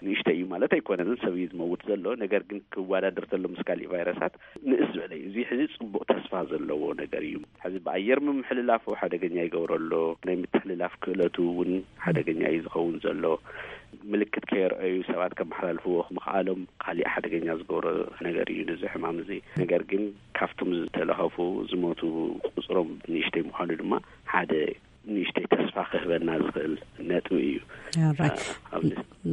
ንእሽቶ እዩ ማለት ኣይኮነን፣ ሰብ እዩ ዝመውት ዘሎ። ነገር ግን ክወዳደር ተሎ ምስ ካሊእ ቫይረሳት ንእስ ዝበለ እዩ። እዚ ሕዚ ፅቡቕ ተስፋ ዘለዎ ነገር እዩ። ሕዚ ብኣየር ምምሕልላፉ ሓደገኛ ይገብሮ ኣሎ። ናይ ምትሕልላፍ ክእለቱ እውን ሓደገኛ እዩ ዝኸውን ዘሎ። ምልክት ከየርአዩ ሰባት ከመሓላልፍዎ ምኽኣሎም ካሊእ ሓደገኛ ዝገብሮ ነገር እዩ ነዚ ሕማም እዚ። ነገር ግን ካብቶም ዝተለኸፉ ዝሞቱ ቁፅሮም ንእሽተይ ምዃኑ ድማ ሓደ ንእሽተይ ተስፋ ክህበና ዝኽእል ነጥቢ እዩ።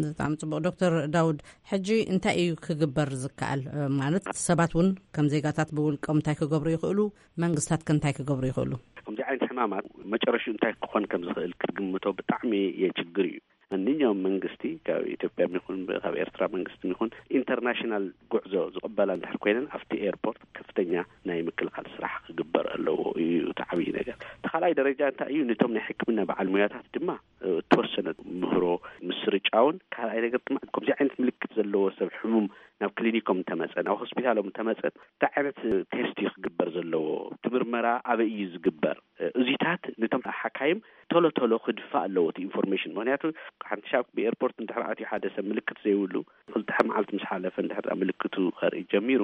ብጣዕሚ ፅቡቅ ዶክተር ዳውድ፣ ሕጂ እንታይ እዩ ክግበር ዝከኣል? ማለት ሰባት እውን ከም ዜጋታት ብውልቆም እንታይ ክገብሩ ይኽእሉ? መንግስታት ከ እንታይ ክገብሩ ይኽእሉ? ከምዚ ዓይነት ሕማማት መጨረሽኡ እንታይ ክኾን ከም ዝኽእል ክትግምቶ ብጣዕሚ የችግር እዩ። ማንኛውም መንግስቲ ካብ ኢትዮጵያ ይኹን ካብ ኤርትራ መንግስቲ ይኹን ኢንተርናሽናል ጉዕዞ ዝቕበላ እንድሕር ኮይነን ኣብቲ ኤርፖርት ከፍተኛ ናይ ምክልኻል ስራሕ ክግበር ኣለዎ እዩ እቲ ዓብዪ ነገር። እቲ ካልኣይ ደረጃ እንታይ እዩ? ነቶም ናይ ሕክምና በዓል ሙያታት ድማ እተወሰነ ምህሮ ምስርጫውን ካልኣይ ነገር ድማ ከምዚ ዓይነት ምልክት ዘለዎ ሰብ ሕሙም ናብ ክሊኒኮም እንተመፀ ናብ ሆስፒታሎም እንተመፀ እንታይ ዓይነት ቴስት እዩ ክግበር ዘለዎ? እቲ ምርመራ ኣበይ እዩ ዝግበር? እዚታት ነቶም ሓካይም ቶሎ ቶሎ ክድፋእ ኣለዎ እቲ ኢንፎርሜሽን። ምክንያቱ ሓንቲ ሻብ ብኤርፖርት እንድሕር ኣትዩ ሓደ ሰብ ምልክት ዘይብሉ ክልተ መዓልቲ ምስ ሓለፈ እንድሕር ምልክቱ ከርኢ ጀሚሩ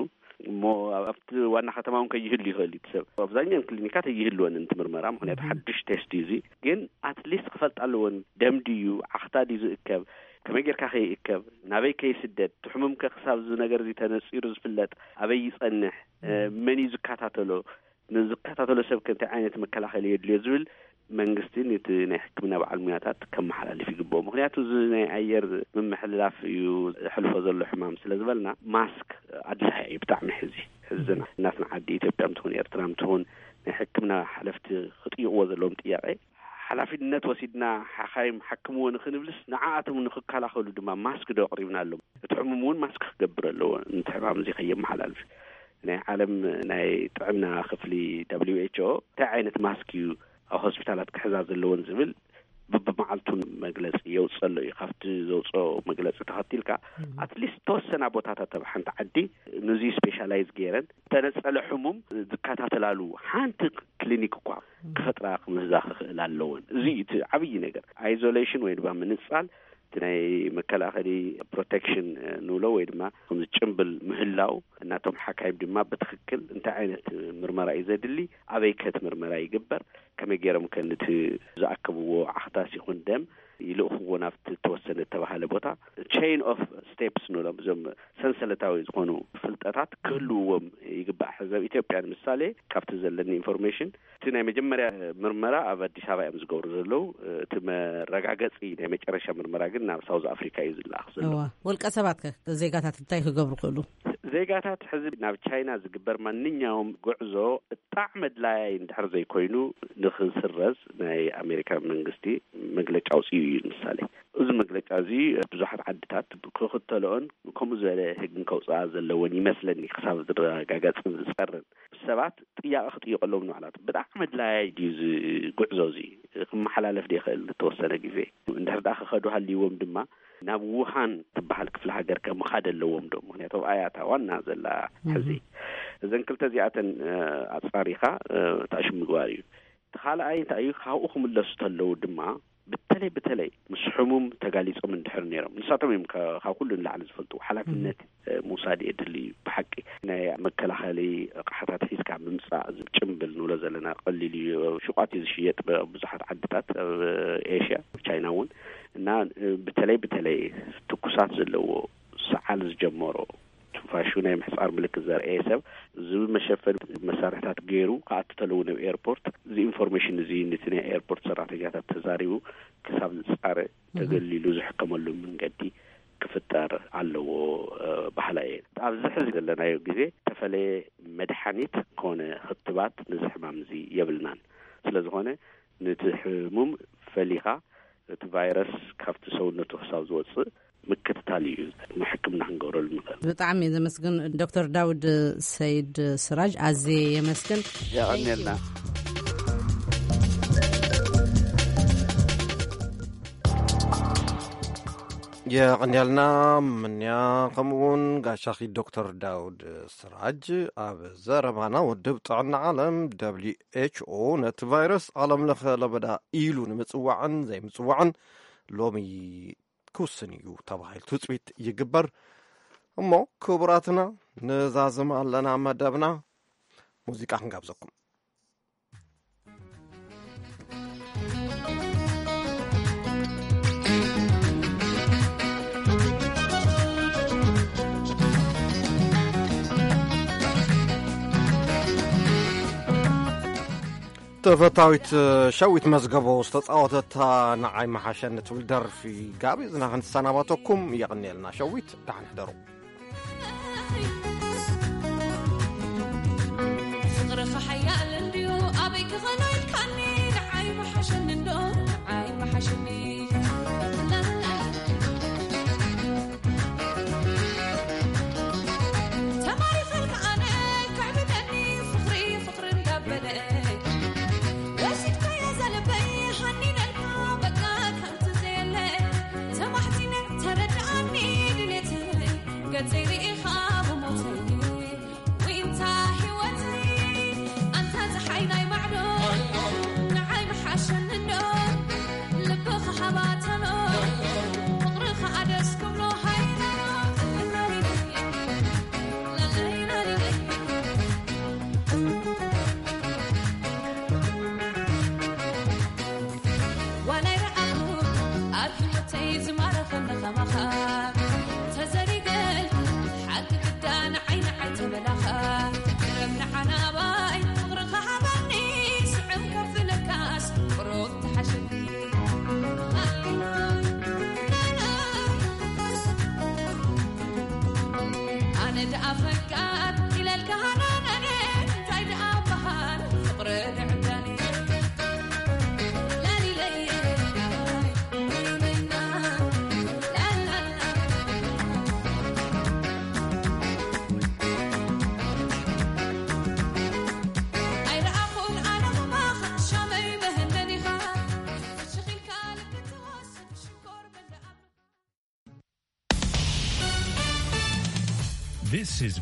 እሞ ኣብቲ ዋና ከተማ እውን ከይህሉ ይኽእል እዩ ሰብ ኣብዛኛን ክሊኒካት ኣይህልወን እቲ ምርመራ። ምክንያቱ ሓድሽ ቴስት እዩ እዚ። ግን ኣትሊስት ክፈልጥ ኣለዎን ደም ድዩ ዓኽታ ድዩ ዝእከብ ከመይ ጌርካ ከይእከብ ናበይ ከይስደድ ትሕሙምከ ክሳብ እዚ ነገር እዚ ተነፂሩ ዝፍለጥ ኣበይ ይፀንሕ መን እዩ ዝከታተሎ ንዝከታተሎ ሰብ ከ እንታይ ዓይነት መከላኸሊ የድልዮ ዝብል መንግስቲ ነቲ ናይ ሕክምና በዓል ሙያታት ከመሓላልፍ ይግብኦ። ምክንያቱ እዚ ናይ ኣየር ምምሕልላፍ እዩ ሕልፎ ዘሎ ሕማም ስለ ዝበልና ማስክ ኣድላይ እዩ ብጣዕሚ። ሕዚ ሕዚ ናትና ዓዲ ኢትዮጵያ ምትኹን ኤርትራ ምትኹን ናይ ሕክምና ሓለፍቲ ክጥይቕዎ ዘለዎም ጥያቄ ሓላፊነት ወሲድና ሓኻይም ሓክምዎ ንክንብልስ ንዓኣቶም ንክከላኸሉ ድማ ማስክ ዶ ኣቕሪብናሎም? እቲ ሕሙም እውን ማስክ ክገብር ኣለዎ ነቲ ሕማም እዚ ከየመሓላልፍ። ናይ ዓለም ናይ ጥዕና ክፍሊ ደብሊው ኤች ኦ እንታይ ዓይነት ማስክ እዩ ኣብ ሆስፒታላት ክሕዛ ዘለዎን ዝብል ብብመዓልቱ መግለጺ የውፅእ ኣሎ እዩ። ካብቲ ዘውፅኦ መግለፂ ተኸቲልካ፣ ኣትሊስት ተወሰና ቦታታት ኣብ ሓንቲ ዓዲ ነዚ ስፔሻላይዝ ገይረን ተነፀለ ሕሙም ዝከታተላሉ ሓንቲ ክሊኒክ እኳ ክፈጥራ ክምህዛ ክኽእል ኣለወን። እዚ እቲ ዓብዪ ነገር፣ ኣይዞሌሽን ወይ ድማ ምንፃል፣ እቲ ናይ መከላኸሊ ፕሮቴክሽን ንብሎ ወይ ድማ ከምዚ ጭምብል ምህላው፣ እናቶም ሓካይም ድማ ብትኽክል እንታይ ዓይነት ምርመራ እዩ ዘድሊ፣ ኣበይ ከት ምርመራ ይግበር፣ ከመይ ገይሮም ከ ነቲ ዝኣከብዎ ዓኽታስ ይኹን ደም ይልእኽዎ ናብቲ ተወሰነ ዝተባሃለ ቦታ። ቼን ኦፍ ስቴፕስ ንብሎም፣ እዞም ሰንሰለታዊ ዝኾኑ ፍልጠታት ክህልውዎም ይግባእ። ሕዚ ኣብ ኢትዮጵያ ንምሳሌ፣ ካብቲ ዘለኒ ኢንፎርሜሽን፣ እቲ ናይ መጀመርያ ምርመራ ኣብ ኣዲስ ኣበባ እዮም ዝገብሩ ዘለዉ። እቲ መረጋገፂ ናይ መጨረሻ ምርመራ ግን ናብ ሳውዝ ኣፍሪካ እዩ ዝለኣኽ ዘሎ። እዋ፣ ውልቀ ሰባት ከ ዜጋታት እንታይ ክገብሩ ክእሉ? ዜጋታት ሕዚ ናብ ቻይና ዝግበር ማንኛውም ጉዕዞ ብጣዕሚ ኣድላያይ እንድሕር ዘይኮይኑ ንክስረዝ ናይ ኣሜሪካ መንግስቲ መግለጫ ኣውፅኡ እዩ። ንምሳሌ፣ እዚ መግለጫ እዚ ብዙሓት ዓድታት ክኽተልኦን ከምኡ ዝበለ ህግን ከውፅኣ ዘለወን ይመስለኒ፣ ክሳብ ዝረጋገፅን ዝፀርን። ሰባት ጥያቄ ክጥይቀሎም ንባዕላቶም፣ ብጣዕሚ ኣድላያይ ድዩ እዚ ጉዕዞ እዚ፣ ክመሓላለፍ ዶ ይኽእል ንተወሰነ ግዜ? እንድሕር ደኣ ክኸዱ ሃልይዎም ድማ ናብ ውሃን ትበሃል ክፍለ ሃገር ከ ምኻድ ኣለዎም ዶ? ምክንያቱ ኣብኣ እያ እታ ዋና ዘላ ሕዚ። እዘን ክልተ እዚኣተን፣ እ፣ ኣጻሪኻ፣ እ፣ ታሽም ምግባር እዩ። እቲ ካልኣይ እንታይ እዩ? ካብኡ ክምለሱ ተለዉ ድማ፣ በተለይ በተለይ ምስ ሕሙም ተጋሊጾም እንድሕር ነይሮም፣ ንሳቶም እዮም ከ-፣ ካብ ኩሉ ንላዕሊ ዝፈልጡ። ሓላፍነት፣ እ፣ ምውሳድ የድሊ እዩ። ብሓቂ ናይ መከላኸሊ ኣቕሓታት ሒዝካ ምምጻእ፣ እዚ ጭምብል ንብሎ ዘለና ቀሊል እዩ። ሹቋት እዩ ዝሽየጥ፣ ብ-፣ ብዙሓት ዓድታት ኣብ ኤሽያ፣ ቻይና እውን። እና፣ እ፣ በተለይ በተለይ ትኩሳት ዘለዎ፣ ሰዓል ዝጀመሮ፣ ትንፋሹ ናይ ምሕጻር ምልክት ዘርእየ ሰብ፣ እዚ መሸፈኒ መሳርሕታት ገይሩ ክኣቱ ተለዉ ናብ ኤርፖርት፣ እዚ ኢንፎርሜሽን እዚ ነቲ ናይ ኤርፖርት ሰራሕተኛታት ተዛሪቡ ክሳብ ዝጻረ፣ ተገሊሉ ዝሕከመሉ መንገዲ ክፍጠር ኣለዎ፣ እ፣ በሃላይ እየ። ኣብዚ ሕዚ ዘለናዮ ግዜ ዝተፈለየ መድሓኒት ኮነ ክትባት ነዚ ሕማም እዚ የብልናን። ስለ ዝኾነ፣ ነቲ ሕሙም ፈሊኻ፣ እቲ ቫይረስ ካብቲ ሰውነቱ ክሳብ ዝወጽእ ምክትታል እዩ፣ ሕክምና ክንገብረሉ ንኽእል። ብጣዕሚ ዘመስግን ዶክተር ዳውድ ሰይድ ስራጅ፣ ኣዝየ የመስግን። የቐንየልና። የቐንየልና ምንያ፣ ከምኡውን ጋሻኺ ዶክተር ዳውድ ስራጅ። ኣብ ዘረባና ውድብ ጥዕና ዓለም፣ ደብሊው ኤች ኦ፣ ነቲ ቫይረስ ዓለም ለኸ ለበዳ ኢሉ ንምጽዋዕን ዘይምጽዋዕን ሎሚ ክውስን እዩ ተባሂሉ ትጽቢት ይግበር። እሞ ክቡራትና፣ ንዛዝም ኣለና መደብና፣ ሙዚቃ ክንጋብዘኩም። ተፈታዊት ሸዊት መዝገቦ ዝተጻወተታ ንዓይ መሓሸኒ ትብል ደርፊ ጋቢዝና ክንሰናባተኩም። የቐንየልና ሸዊት፣ ደሓን ሕደሩ። ፍቕርኻ ሓያል እንድዩ፣ ኣበይ ክኸኖ ኢልካኒ፣ ንዓይ መሓሸኒ እንዶ፣ ንዓይ መሓሸኒ። ተማሪኸልካ ኣነ፣ ከዕብደኒ ፍቕሪ፣ ፍቕሪ እንዳበለ። ወሲድካያ እዛ ልበይ፣ ሃኒነልካ በቃ ከምቲ ዘየለ። ተማሕጺነ ተረድኣኒ ድሌተይ፣ ገጸይ ርኢኻ ብሞተይ። ዊንታ ህይወተይ፣ ኣንታ ጸሓይ ናይ ማዕዶ፣ ንዓይ ምሓሸኒ እንዶ፣ ልብኻ ሃባተሎ፣ ፍቕርኻ ኣደስ ክብሎ ሃይላሎ። ዋላ ይረኣኹ ኣብ ህይወተይ ዝማረኸኒ ኸማኻ ተዘሪገልኩ ሓቂ ግዳ ንዓይ ንዓይ ተበላኻ። ቅረብ ንዓና ባይ ፍቕርኻ ሃበኒ ስዕም ከፍለካስ ቅሩብ ተሓሸኒ። ኣነ ደኣ ፈቃር ኢለልካ ሃናናነ እንታይ ደኣ በሃል ፍቕሪ ንዕዳኒ። ላሊለየ፣ ላሊለና፣ ላላላ። ኣይረኣኹን ኣነ ኸማኻ ሻመይ መህነኒኻ ፍሽኽ ኢልካ This is